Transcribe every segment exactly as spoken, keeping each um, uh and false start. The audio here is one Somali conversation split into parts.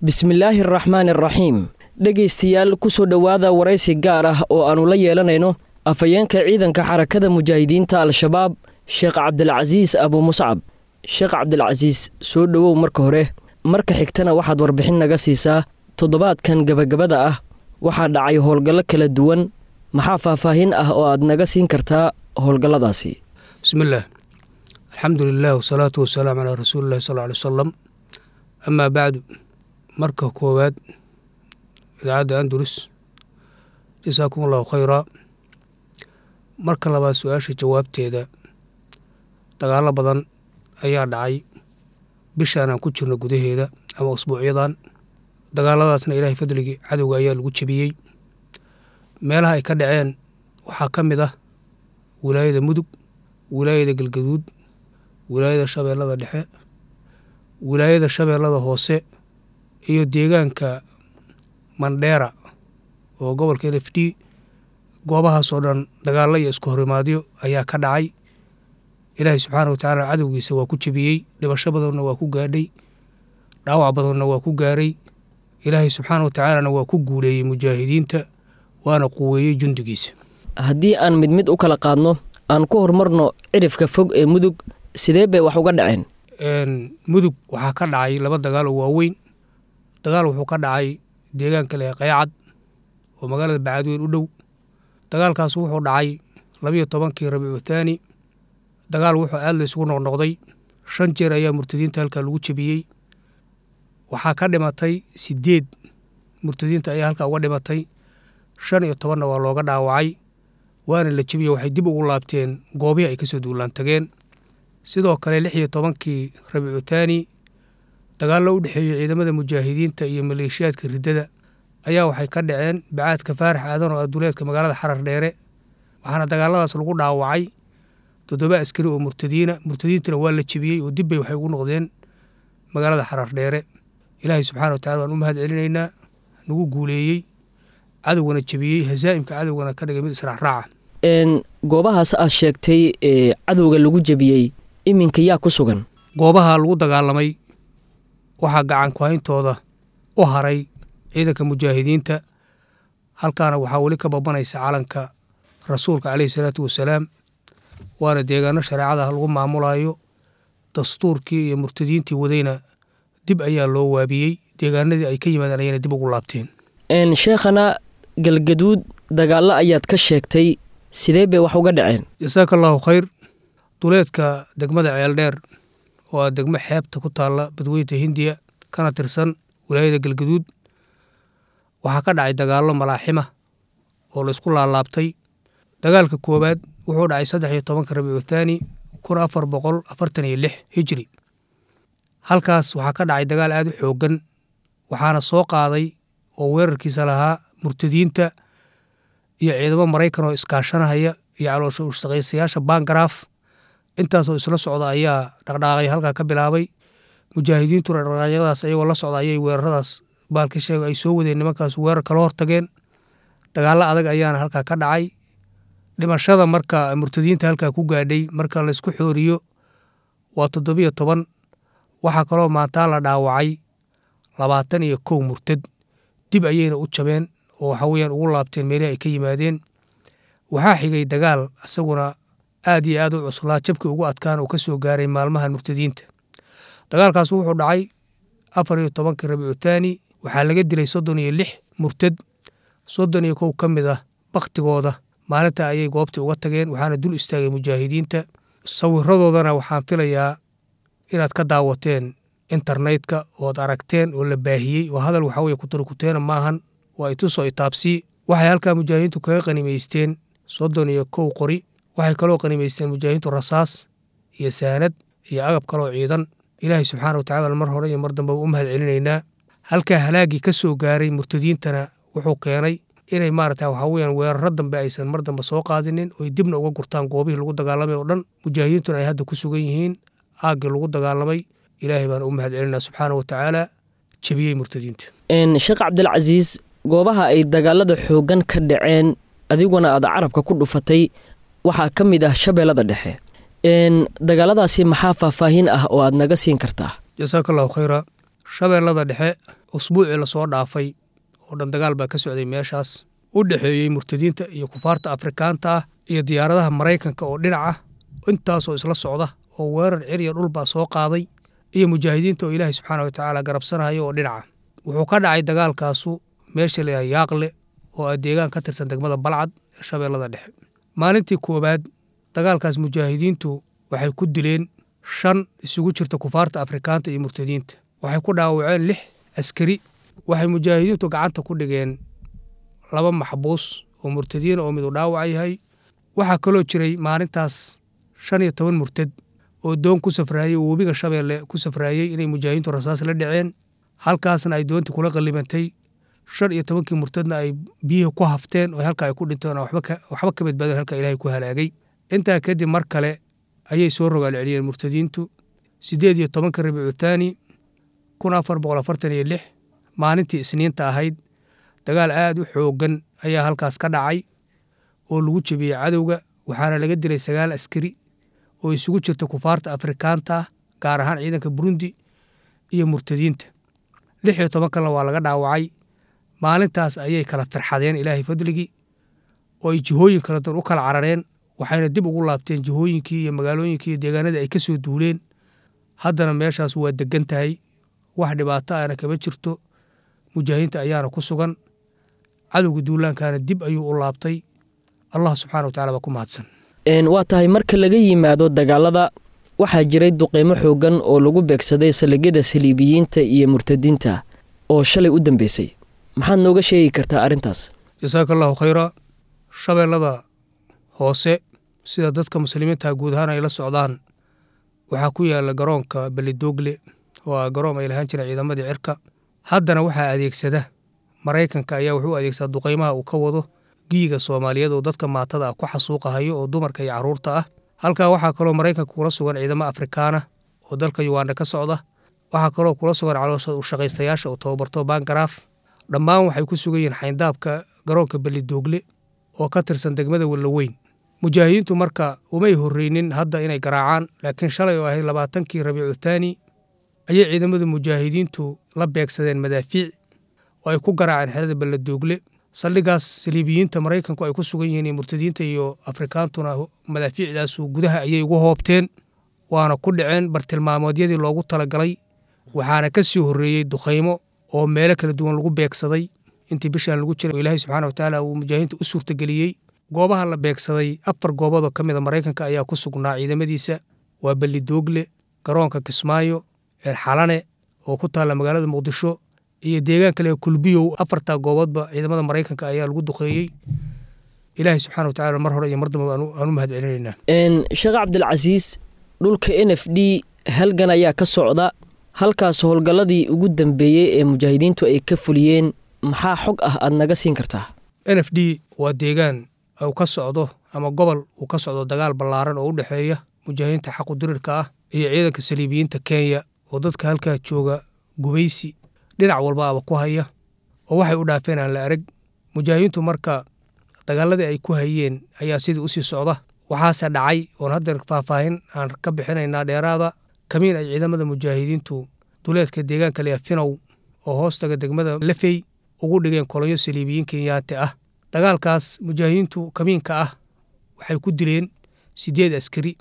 Bismillaahi araxmaani araxiim. Dhegaystayaal, ku soo dhowaada waraysi gaar ah oo aannu la yeelanayno afhayeenka ciidanka Xarakada Mujaahidiinta Al-Shabaab, Sheekh Cabdilcasiis Abu Muscab. Sheekh Cabdilcasiis, soo dhowow marka hore. Marka xigtana waxaad warbixin naga siisaa toddobaadkan gebagabada ah waxaa dhacay howlgallo kala duwan. Maxaa faahfaahin ah oo aad naga siin kartaa howlgalladaasi? Bismillaah, alxamdu lilah, wasalaatu wasalaamu calaa rasuulillahi sal alay wasalam, amaa bacdu. Marka koowaad, idaacadda Andalus, jasaakum allahu khayraa. Marka labaad, su-aasha jawaabteeda, dagaallo badan ayaa dhacay bishaan aan ku jirno gudaheeda ama usbuucyadan. Dagaaladaasna Ilaahay fadligii cadowga ayaa lagu jebiyey. Meelaha ay ka dhaceen waxaa ka mid ah wilaayada Mudug, wilaayada Galgaduud, wilaayada Shabeellada Dhexe, wilaayada Shabeellada Hoose iyo deegaanka Mandheera oo gobolka N F D. Goobahaasoo dhan dagaallo iyo isku horimaadyo ayaa ka dhacay. Ilaahay subxaana wa tacaala cadowgiisa waa ku jebiyey, dhibasho badanna waa ku gaadhay, dhaawac badanna waa ku gaaray. Ilaahay subxaana wa tacaalana waa ku guuleeyey mujaahidiinta, waana quweeyey jundigiisa. Haddii aan mid mid u kala qaadno, aan ku horumarno cidhifka fog ee Mudug. Sidee bay wax uga dhaceen? Mudug waxaa ka dhacay laba dagaal oo waaweyn. Dagaal wuxuu ka dhacay deegaanka leh Qaycad oo magaalada Bacaadweyn u dhow. Dagaalkaas wuxuu dhacay labiyo tobankii Rabiicu Thaani. Dagaal wuxuu aad la isugu noqnoqday. Shan jeer ayaa murtadiinta halkaa lagu jebiyey. Waxaa ka dhimatay sideed murtadiinta ayaa halkaa uga dhimatay, shan iyo tobanna waa looga dhaawacay, waana la jebiyey. Waxay dib ugu laabteen goobihii ay kasoo duulaan tageen. Sidoo kale, lix iyo tobankii Rabiicu Thaani, dagaallo u dhexeeyey ciidamada mujaahidiinta iyo maleeshiyaadka riddada ayaa waxay ka dhaceen Bacaadka Faarax Aadan oo aduleedka magaalada Xarar Dheere. Waxaana dagaaladaas lagu dhaawacay toddoba askari oo murtadiina. Murtadiintana waa la jebiyey oo dib bay waxay ugu noqdeen magaalada Xarar Dheere. Ilaahay subxana wa tacala waan u mahad celinaynaa nagu guuleeyey, cadowgana jebiyey, hasaa'imka cadowgana ka dhigay mid israacraaca. Goobahaas aad sheegtay ee cadowga lagu jebiyey, iminka yaa ku sugan? Goobaha lagu dagaalamay waxaa gacan ku-hayntooda u haray ciidanka mujaahidiinta. Halkaana waxaa weli ka babanaysa calanka rasuulka caleyhi salaatu wasalaam, waana deegaano shareecada lagu maamulayo. Dastuurkii iyo murtadiintii wadayna dib ayaa loo waabiyey, deegaanadii ay ka yimaadeen ayayna dib ugu laabteen. Sheekhana, Galgaduud dagaallo ayaad ka sheegtay. Sidee bay wax uga dhaceen? Jasaaka allahu khayr. Duleedka degmada Ceeldheer oo ah degmo xeebta ku taalla Badweynta Hindiya kana tirsan wilaayada Galgaduud waxaa ka dhacay dagaallo malaaxima oo laysku laalaabtay. Dagaalka koowaad wuxuu dhacay saddex iyo tobanka Rabiicu Thaani kun afar boqol afartan iyo lix hijri. Halkaas waxaa ka dhacay dagaal aad u xooggan, waxaana soo qaaday oo weerarkiisa lahaa murtadiinta iyo ciidamo Maraykan oo iskaashanahaya iyo caloosha ushaqaysayaasha Bangaraaf. Intaasoo isla socda ayaa dhaqdhaqaaqay halkaa ka bilaabay. Mujaahidiintuna dhaqdhaqaaqyadaas ayagoo la socda ayay weeraradaas baalka sheega ay soo wadeen nimankaas weerar kala hortageen. Dagaallo adag ayaana halkaa ka dhacay. Dhimashada marka murtadiinta halkaa ku gaadhay marka laysku xooriyo waa toddobiyo toban. Waxaa kaloo maantaa la dhaawacay labaatan iyo kow murtad. Dib ayayna u jabeen oo waxa weeyaan ugu laabteen meelihii ay ka yimaadeen. Waxaa xigay dagaal isaguna aad iyo aad u cuslaa, jabkii ugu adkaan uu ka soo gaaray maalmahan murtadiinta. Dagaalkaas wuxuu dhacay afar iyo tobankii Rabiicu Thaani. Waxaa laga dilay soddon iyo lix murtad. Soddon iyo kow ka mid ah bakhtigooda maalinta ayay goobtii uga tageen, waxaana dul istaagay mujaahidiinta. Sawiradoodana waxaan filayaa inaad ka daawateen internetka ood aragteen oo la baahiyey, oo hadal waxa weye kuturkuteena maahan, waa itusoo itaabsii. Waxay halkaa mujaahidiintu kaga qanimaysteen soddon iyo kow qori. Waxay kaloo qanimaysteen mujaahidiintu rasaas iyo saanad iyo agab kaloo ciidan. Ilaahay subxaana wa tacala mar hore iyo mar dambeba u mahad celinaynaa. Halkaa halaagii ka soo gaaray murtadiintana wuxuu keenay inay maarata waxaa weyaan weeraro dambe aysan mar dambe soo qaadinin, oy dibna uga gurtaan goobihii lagu dagaalamay oo dhan, mujaahidiintuna ay hadda ku sugan yihiin aaggii lagu dagaalamay. Ilaahay baan u mahad celinaa subxaana wa tacaala jebiyey murtadiinta. Sheekh Cabdilcasiis, goobaha ay dagaalada xooggan ka dhaceen adiguna aad carabka ku dhufatay waxaa ka mid ah Shabeellada Dhexe. Dagaaladaasi maxaa faahfaahin ah oo aad naga siin kartaa? Jasaaka allahu khayra. Shabeellada Dhexe usbuucii lasoo dhaafay oo dhan dagaal baa ka socday meeshaas, u dhexeeyey murtadiinta iyo kufaarta Afrikaanta ah iyo diyaaradaha Maraykanka oo dhinac ah, intaasoo isla socda oo weerar cir iyo dhulbaa soo qaaday, iyo mujaahidiinta oo Ilaahay subxaana wa tacaala garabsanaya oo dhinaca. Wuxuu ka dhacay dagaalkaasu meesha la yidhaha Yaaqle oo ah deegaan ka tirsan degmada Balcad ee Shabeellada Dhexe. Maalintii koowaad dagaalkaas mujaahidiintu waxay ku dileen shan isugu jirta kufaarta Afrikaanta iyo murtadiinta, waxay ku dhaawaceen lix askari, waxay mujaahidiintu gacanta ku dhigeen laba maxbuus oo murtadiina oo midu dhaawac yahay. Waxaa kaloo jiray maalintaas shan iyo toban murtad oo doon ku safraayey oo webiga Shabeelle ku safraayey inay mujaahidiintu rasaas la dhaceen, halkaasna ay doontii kula qallimantay, shan iyo tobankii murtadna ay biyihii ku hafteen oo halka ay ku dhinteen oo waxba ka waxba ka badbaadeen, halka Ilaahay ku halaagay. Intaa kadib mar kale ayay soo rogaal celiyeen murtadiintu sideed iyo tobanka Rabiicu Thaani kun afar boqol afartan iyo lix, maalintii Isniinta ahayd. Dagaal aad u xooggan ayaa halkaas ka dhacay oo lagu jebiyey cadowga, waxaana laga dilay sagaal askari oo isugu jirta kufaarta Afrikaanta ah, gaar ahaan ciidanka Burundi iyo murtadiinta, lix iyo toban kalena waa laga dhaawacay. Maalintaas ayay kala firxadeen Ilaahay fadligii oo ay jihooyin kala duwan u kala carareen, waxayna dib ugu laabteen jihooyinkii iyo magaalooyinkii iyo deegaanadii ay ka soo duuleen. Haddana meeshaas waa degan tahay, wax dhibaato ahna kama jirto, mujaahidiinta ayaana ku sugan, cadowga duulaankaana dib ayuu u laabtay. Allah subxaana wa tacala baa ku mahadsan. Waa tahay, marka laga yimaado dagaalada waxaa jiray duqeymo xoogan oo lagu beegsaday saldhigyada saliibiyiinta iyo murtadiinta oo shalay u dambeysay, maxaad nooga sheegi kartaa arrintaas? Jasaaka allahu khayra. Shabeellada Hoose, sida dadka muslimiinta guud ahaan ay la socdaan, waxaa ku yaala garoonka Belidoogle oo ah garoon ay lahaan jireen ciidamadii cirka. Haddana waxaa adeegsada Maraykanka ayaa wuxuu adeegsadaa duqeymaha uu ka wado giiga Soomaaliyeed oo dadka maatada ah ku xasuuqahayo oo dumarka iyo carruurta ah. Halkaa waxaa kaloo Maraykanka kula sugan ciidamo Afrikaana oo dalka Yuganda ka socda, waxaa kaloo kula sugan caloosha u shaqaystayaasha oo tababarto Bangaraaf. Dhammaan waxay ku sugan yihiin xayndaabka garoonka Belidoogle oo ka tirsan degmada Wallaweyn. Mujaahidiintu marka umay horreynin hadda inay garaacaan, laakiin shalay oo ahayd labaatankii Rabiicu Thaani ayay ciidamada mujaahidiintu la beegsadeen madaafiic oo ay ku garaaceen xerada Beledoogle. Saldhigaas saliibiyiinta Maraykanku ay ku sugan yihiin iyo murtadiinta iyo Afrikaantuna madaafiicdaasu gudaha ayay ugu hoobteen, waana ku dhaceen bartilmaameedyadii loogu talagalay. Waxaana ka sii horreeyey dukhaymo oo meelo kala duwan lagu beegsaday intii bishaan lagu jiray oo Ilaahay subxaana watacaala uu mujaahidiinta u suurtageliyey. Goobaha la beegsaday afar goobood oo ka mid a Maraykanka ayaa ku sugnaa ciidamadiisa: waa Belidoogle, garoonka Kismaayo, Xalane oo ku taalla magaalada Muqdisho, iyo deegaan kale Kulbiyow. Afartaa gooboodba ciidamada Maraykanka ayaa lagu duqeeyey. Ilaahay subxaana watacaala mar hore iyo mar dambaba aan u mahad celinaynaa. Sheekh Cabdilcasiis, dhulka N F D halgan ayaa ka socda, halkaas howlgalladii ugu dambeeyey ee mujaahidiintu ay ka fuliyeen maxaa xog ah aad naga siin kartaa? N F D waa deegaan uu ka socdo ama gobol uu ka socdo dagaal ballaaran oo u dhexeeya mujaahidiinta xaqu dirirka ah iyo ciidanka saliibiyiinta Kenya oo dadka halkaa jooga gumaysi dhinac walbaaba ku haya oo waxay u dhaafeen aan la arag. Mujaahidiintu marka dagaaladii ay ku hayeen ayaa sidii usii socda. Waxaase dhacay oon hadda faahfaahin aan ka bixinaynaa dheeraada kamiin ay ciidamada mujaahidiintu duleedka deegaanka Leafinow oo hoostaga degmada Lafey ugu dhigeen kolonyo saliibiyiin Kenyaati ah. Dagaalkaas mujaahidiintu kamiinka ah waxay ku dileen sideed askari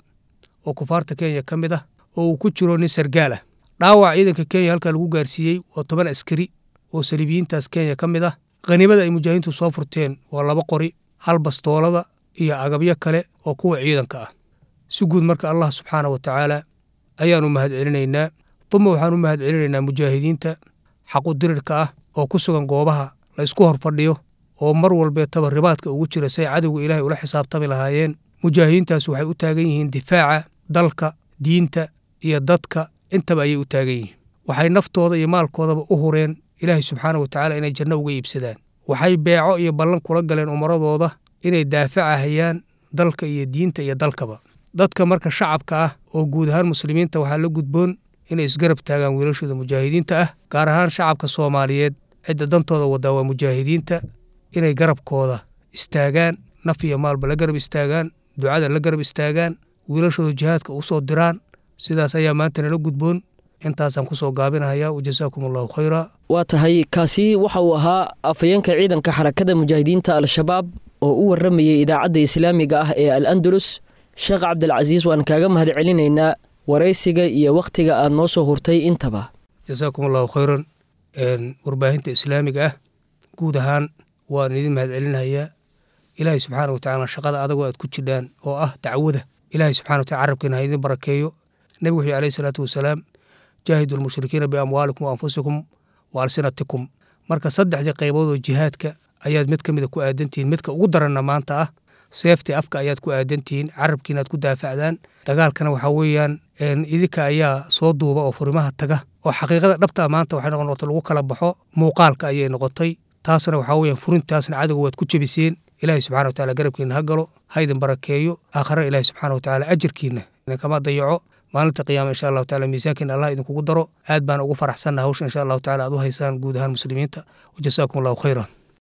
oo kufaarta Kenya ka mid ah oo uu ku jiro nin sargaal ah. Dhaawac ciidanka Kenya halkaa lagu gaarsiiyey waa toban askari oo saliibiyiintaas Kenya ka mid ah. Khaniimada ay mujaahidiintu soo furteen waa laba qori, hal bastoolada iyo agabyo kale oo kuwa ciidanka ah. Si guud marka Allah subxaana wa tacaala ayaanu mahad celinaynaa, uma waxaan u mahad celinaynaa mujaahidiinta xaqu dirirka ah oo ku sugan goobaha la isku hor fadhiyo oo mar walbeetaba ribaadka ugu jira say cadowga Ilaahay ula xisaabtami lahaayeen. Mujaahidiintaas waxay u taagan yihiin difaaca dalka, diinta iyo dadka, intaba ayay u taagan yihiin. Waxay naftooda iyo maalkoodaba u hureen Ilaahay subxaana wa tacaala inay janno uga iibsadaan. Waxay beeco iyo ballan kula galeen umaradooda inay daafacahayaan dalka iyo diinta iyo dalkaba. Dadka marka shacabka ah oo guud ahaan muslimiinta waxaa la gudboon inay isgarab taagaan wiilashooda mujaahidiinta ah, gaar ahaan shacabka Soomaaliyeed. Cidda dantooda wadaa waa mujaahidiinta, inay garabkooda istaagaan, naf iyo maalba la garab istaagaan, ducada la garab istaagaan, wiilashooda jihaadka u soo diraan. Sidaas ayaa maanta nala gudboon. Intaasaan kusoo gaabinahayaa, wajasaakum allahu khayra. Waa tahay, kaasi waxa uu ahaa afhayeenka ciidanka Xarakada Mujaahidiinta Al-Shabaab oo u warramayay idaacadda islaamiga ah ee Al Andalus. Sheekh Cabdilcasiis, waan kaaga mahad celinaynaa waraysiga iyo wakhtiga aad noo soo hurtay intaba. Jasaakum allahu khayran. Warbaahinta islaamiga ah guud ahaan waan idin mahad celinayaa. Ilaahay subxaana wa tacaala shaqada adagoo aad ku jidhaan oo ah dacwada, Ilaahay subxana wa tacala carabkiina ha idin barakeeyo. Nebigu wuxuu alayhi salaatu wasalaam: jaahidu lmushrikiina biamwaalikum wa anfusikum wa alsinatikum. Marka saddexdii qaybood oo jihaadka ayaad mid ka mida ku aadantihiin, midka ugu daranna maanta ah seeftii afka ayaad ku aadantihiin, carabkiina aad ku daafacdaan. Dagaalkana waxaa weeyaan idinka ayaa soo duuba oo furimaha taga, oo xaqiiqada dhabta maanta waxay noqon noqotay lagu kala baxo muuqaalka ayay noqotay. Taasna waxaa weeyaan furintaasna cadowga waad ku jebiseen. Ilaahay subxana wa tacaala garabkiina ha galo, ha idin barakeeyo. Aakhirana Ilaahay subxaana wa tacaala ajarkiina kama dayaco. Maalinta qiyaama insha allahu tacala miisaankiina Allah idinkugu daro. Aad baan ugu faraxsannaha hawsha insha allahu tacala aad u haysaan guud ahaan muslimiinta. Wajasaakum allahu khayran.